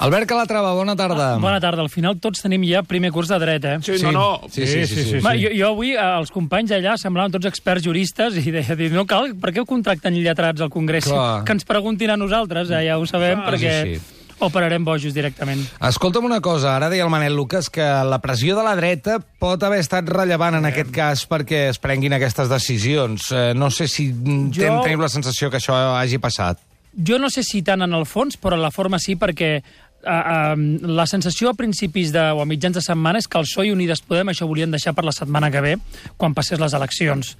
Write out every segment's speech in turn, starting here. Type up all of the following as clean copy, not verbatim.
Albert Calatrava, bona tarda. Bona tarda. Al final tots tenim ja primer curs de dret, eh? Sí. Sí. Jo avui, els companys allà semblaven tots experts juristes i deia, no cal, per què ho contracten lletrats al Congrés? Clar. Que ens preguntin a nosaltres, ja ho sabem, perquè operarem bojos directament. Escolta'm una cosa, ara deia el Manel Lucas que la pressió de la dreta pot haver estat rellevant en aquest cas perquè es prenguin aquestes decisions. No sé si tenim la sensació que això hagi passat. Jo no sé si tant en el fons, però en la forma sí, perquè la sensació a principis o a mitjans de setmana és que el PSOE i Unides Podem això volien deixar per la setmana que ve, quan passés les eleccions.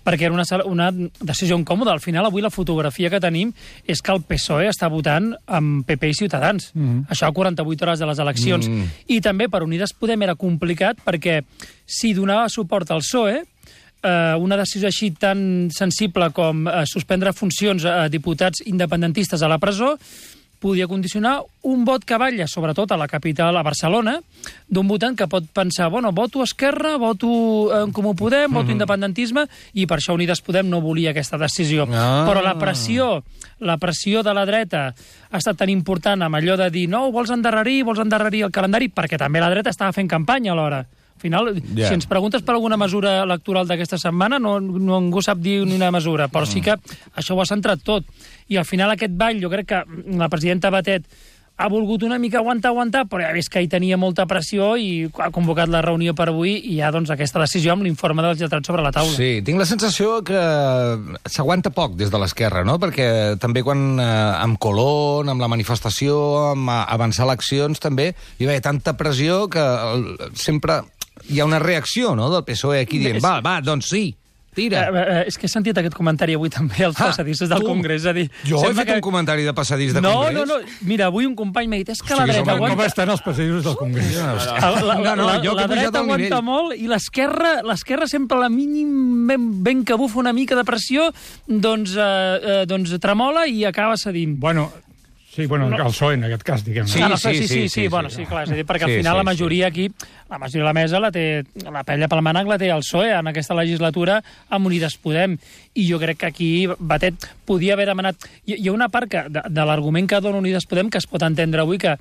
Perquè era una decisió incòmoda. Al final, avui la fotografia que tenim és que el PSOE està votant amb PP i Ciutadans. Això a 48 hores de les eleccions. I també per Unides Podem era complicat perquè si donava suport al PSOE, una decisió així tan sensible com suspendre funcions a diputats independentistes a la presó podia condicionar un vot que balla, sobretot a la capital, a Barcelona, d'un votant que pot pensar, bueno, voto Esquerra, voto en Comú Podem, voto independentisme, i per això Unides Podem no volia aquesta decisió. Però la pressió de la dreta ha estat tan important amb allò de dir, no, vols endarrerir el calendari, perquè també la dreta estava fent campanya alhora. Al final, si ens preguntes per alguna mesura electoral d'aquesta setmana, no ningú sap dir ni una mesura, però sí que això ho ha centrat tot. I al final aquest ball, jo crec que la presidenta Batet ha volgut una mica aguantar, però ja vist que hi tenia molta pressió i ha convocat la reunió per avui i hi ha doncs, aquesta decisió amb l'informe dels lletrats sobre la taula. Sí, tinc la sensació que s'aguanta poc des de l'esquerra, no? Perquè també quan amb Colón, amb la manifestació, amb avançar eleccions, també hi va haver tanta pressió que sempre hi ha una reacció, no?, del PSOE aquí dient, va, doncs sí, tira. És que he sentit aquest comentari avui també als passadissos del Congrés. És a dir, jo he fet un comentari de passadís de Congrés? No. Mira, avui un company m'ha dit, és que la dreta aguanta... Com estan els passadissos del Congrés? La dreta aguanta molt i l'esquerra sempre a la mínim ben que bufa una mica de pressió, doncs tremola i acaba cedint. Sí, el PSOE en aquest cas, diguem-ne. Sí, clar, és a dir, perquè al final la majoria aquí, la majoria de la mesa la pella pel mànec la té el PSOE en aquesta legislatura amb Unides Podem. I jo crec que aquí Batet podia haver demanat... Hi ha una part de l'argument que dona Unides Podem que es pot entendre avui, que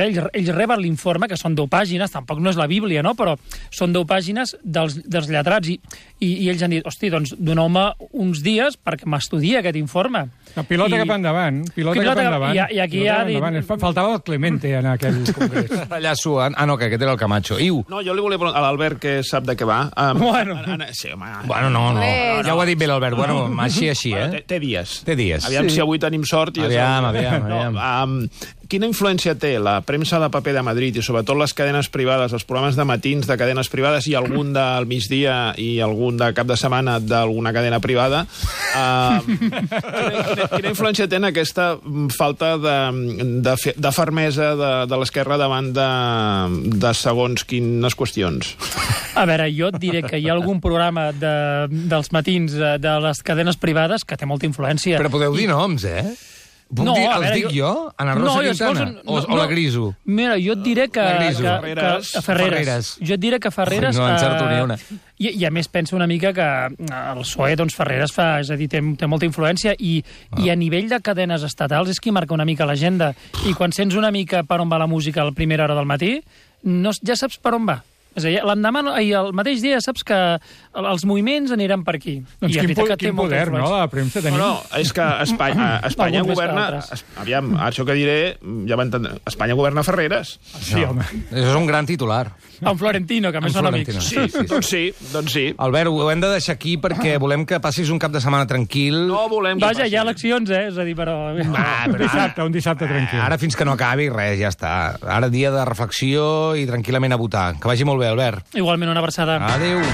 ells reben l'informe, que són 10 pàgines, tampoc no és la Bíblia, no?, però són 10 pàgines dels lletrats, i ells han dit, hosti, doncs doneu-me uns dies perquè m'estudia aquest informe. Pilota cap endavant. I aquí ja ha dit... Faltava el Clemente en aquell congrés. Allà sua... no, que aquest era el Camacho. Iu. No, jo li volia preguntar a l'Albert que sap de què va. Sí, home... Bueno, no. Ja ho ha dit bé l'Albert. Bueno, així, eh? Té dies. Aviam si avui tenim sort. Aviam. Quina influència té la premsa de paper de Madrid i sobretot les cadenes privades, els programes de matins de cadenes privades i algun del migdia i algun de cap de setmana d'alguna cadena privada? Quina influència té en aquesta falta de fermesa de l'esquerra davant de segons quines qüestions? A veure, jo et diré que hi ha algun programa dels matins de les cadenes privades que té molta influència. Però podeu dir noms, eh? Els dic jo? Ana Rosa Quintana? O la Griso? Mira, jo et diré que Ferreres. Jo et diré que Ferreres... No encerto ni una. I a més penso una mica que el PSOE, doncs Ferreres fa, és a dir, té molta influència i a nivell de cadenes estatals és qui marca una mica l'agenda. I quan sents una mica per on va la música a la primera hora del matí, ja saps per on va. És a dir, l'endemà i el mateix dia saps que els moviments aniran per aquí. Doncs quin poder, no?, la premsa tenim. No, és que Espanya governa... Aviam, això que diré, ja m'entendré. Espanya governa Ferreres. Sí, home. Això és un gran titular. En Florentino, que a més són amics. Sí, doncs sí. Albert, ho hem de deixar aquí perquè volem que passis un cap de setmana tranquil. No volem que passi. Vaja, hi ha eleccions, És a dir, però... Un dissabte tranquil. Ara fins que no acabi, res, ja està. Ara dia de reflexió i tranquil·lament a votar. Que vagi molt bé, Albert. Igualment, una abraçada. Adéu.